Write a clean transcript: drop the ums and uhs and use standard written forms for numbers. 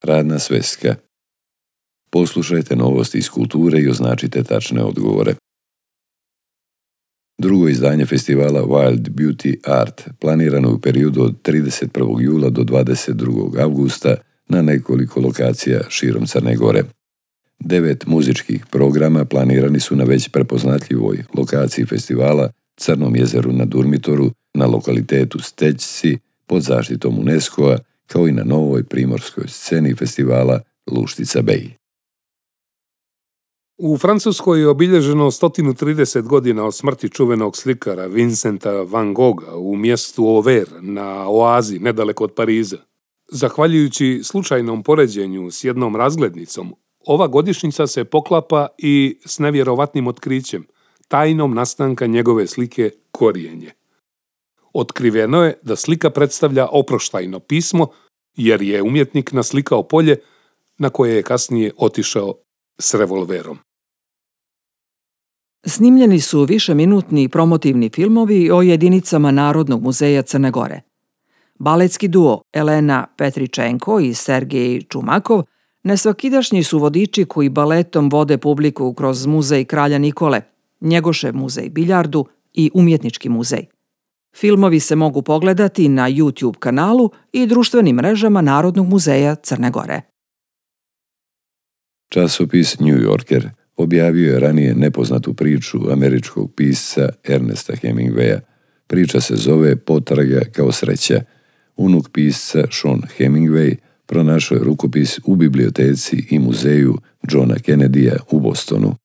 Radna sveska. Poslušajte novosti iz kulture i označite tačne odgovore. Drugo izdanje festivala Wild Beauty Art planirano je u periodu od 31. jula do 22. avgusta na nekoliko lokacija širom Crne Gore. 9 muzičkih programa planirani su na već prepoznatljivoj lokaciji festivala Crnom jezeru na Durmitoru, na lokalitetu Stećci pod zaštitom UNESCO-a, kao i na novoj primorskoj sceni festivala Luštica Bej. U Francuskoj je obilježeno 130 godina od smrti čuvenog slikara Vincenta van Gogha u mjestu Auvers na oazi nedaleko od Pariza. Zahvaljujući slučajnom poređenju s jednom razglednicom, ova godišnjica se poklapa i s nevjerovatnim otkrićem, tajnom nastanka njegove slike Korijenje. Otkriveno je da slika predstavlja oproštajno pismo, jer je umjetnik naslikao polje na koje je kasnije otišao s revolverom. Snimljeni su višeminutni promotivni filmovi o jedinicama Narodnog muzeja Crne Gore. Baletski duo Elena Petričenko i Sergej Čumakov nesvakidašnji su vodiči koji baletom vode publiku kroz muzej Kralja Nikole, Njegošev muzej biljardu i Umjetnički muzej. Filmovi se mogu pogledati na YouTube kanalu i društvenim mrežama Narodnog muzeja Crne Gore. Časopis New Yorker objavio je ranije nepoznatu priču američkog pisca Ernesta Hemingwaya. Priča se zove Potraga kao sreća. Unuk pisca Sean Hemingway pronašao je rukopis u biblioteci i muzeju Johna Kennedyja u Bostonu.